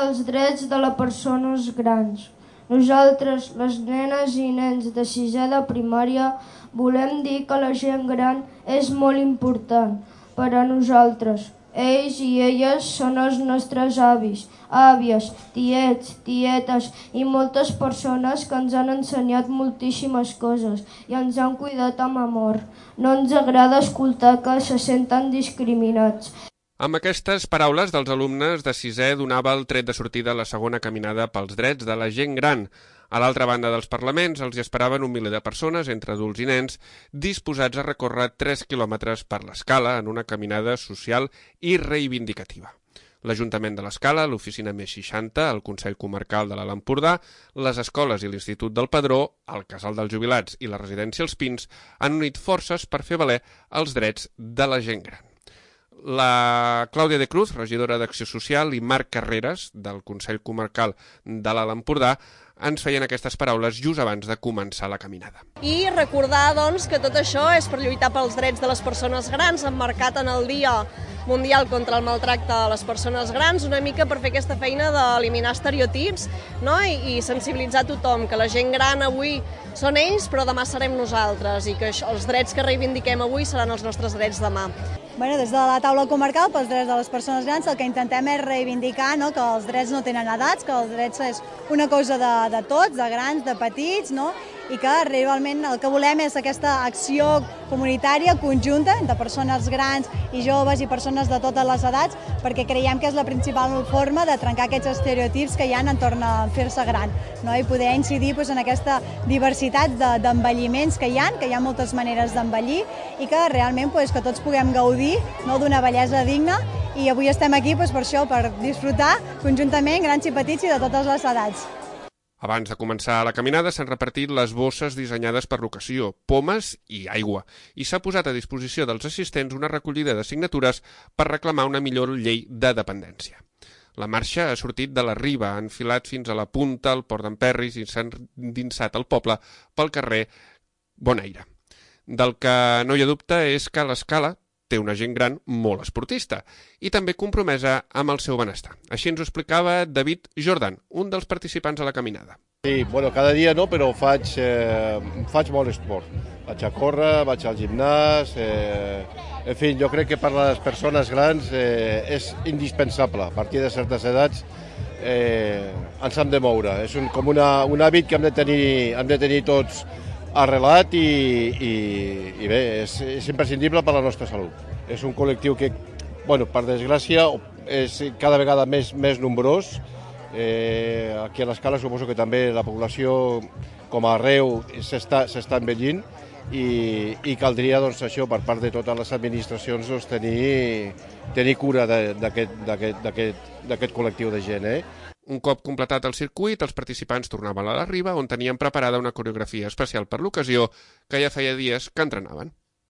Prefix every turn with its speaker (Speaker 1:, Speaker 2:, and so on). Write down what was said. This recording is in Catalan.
Speaker 1: dels drets de les persones grans. Nosaltres, les nenes i nens de sisè de primària, volem dir que la gent gran és molt important per a nosaltres. Ells i elles són els nostres avis, àvies, tiets, tietes i moltes persones que ens han ensenyat moltíssimes coses i ens han cuidat amb amor. No ens agrada escoltar que se senten discriminats.
Speaker 2: Amb aquestes paraules dels alumnes de sisè donava el tret de sortida a la segona caminada pels drets de la gent gran. A l'altra banda dels parlaments els hi esperaven un miler de persones, entre adults i nens, disposats a recórrer 3 quilòmetres per l'Escala en una caminada social i reivindicativa. L'Ajuntament de l'Escala, l'Oficina Més 60, el Consell Comarcal de l'Alt Empordà, les escoles i l'Institut del Padró, el Casal dels Jubilats i la Residència Els Pins han unit forces per fer valer els drets de la gent gran. La Clàudia de Cruz, regidora d'Acció Social, i Marc Carreras, del Consell Comarcal de l'Alt Empordà, ens feien aquestes paraules just abans de començar la caminada.
Speaker 3: I recordar, doncs, que tot això és per lluitar pels drets de les persones grans, emmarcat en el Dia Mundial contra el Maltracte a les Persones Grans, una mica per fer aquesta feina d'eliminar estereotips, no? I sensibilitzar tothom, que la gent gran avui són ells, però demà serem nosaltres, i que els drets que reivindiquem avui seran els nostres drets demà.
Speaker 4: Des de la taula comarcal pels drets de les persones grans el que intentem és reivindicar que els drets no tenen edats, que els drets és una cosa de tots, de grans, de petits, i que realment el que volem és aquesta acció comunitària conjunta entre persones grans i joves i persones de totes les edats, perquè creiem que és la principal forma de trencar aquests estereotips que hi ha entorn a fer-se gran, i poder incidir en aquesta diversitat d'envelliments que hi ha moltes maneres d'envellir i que realment que tots puguem gaudir d'una bellesa digna, i avui estem aquí per això, per disfrutar conjuntament grans i petits i de totes les edats.
Speaker 2: Abans de començar la caminada s'han repartit les bosses dissenyades per l'ocasió, pomes i aigua, i s'ha posat a disposició dels assistents una recollida de signatures per reclamar una millor llei de dependència. La marxa ha sortit de la Riba, ha enfilat fins a la punta, al Port d'en Perris, i s'ha endinsat al poble pel carrer Bonaire. Del que no hi ha dubte és que l'Escala té una gent gran molt esportista i també compromesa amb el seu benestar. Així ens ho explicava David Jordan, un dels participants a la caminada.
Speaker 5: Sí, cada dia no, però faig molt esport. Vaig a córrer, vaig al gimnàs, en fi, jo crec que per a les persones grans és indispensable. A partir de certes edats ens hem de moure. És com un hàbit que hem de tenir tots arrelat i bé, és imprescindible per a la nostra salut. És un col·lectiu que, per desgràcia, és cada vegada més nombrós. Aquí a l'Escala suposo que també la població, com a arreu, s'està envellint i caldria això per part de totes les administracions tenir cura d'aquest col·lectiu de gent.
Speaker 2: Un cop completat el circuit, els participants tornaven a la Riba, on tenien preparada una coreografia especial per l'ocasió que ja feia dies que entrenaven.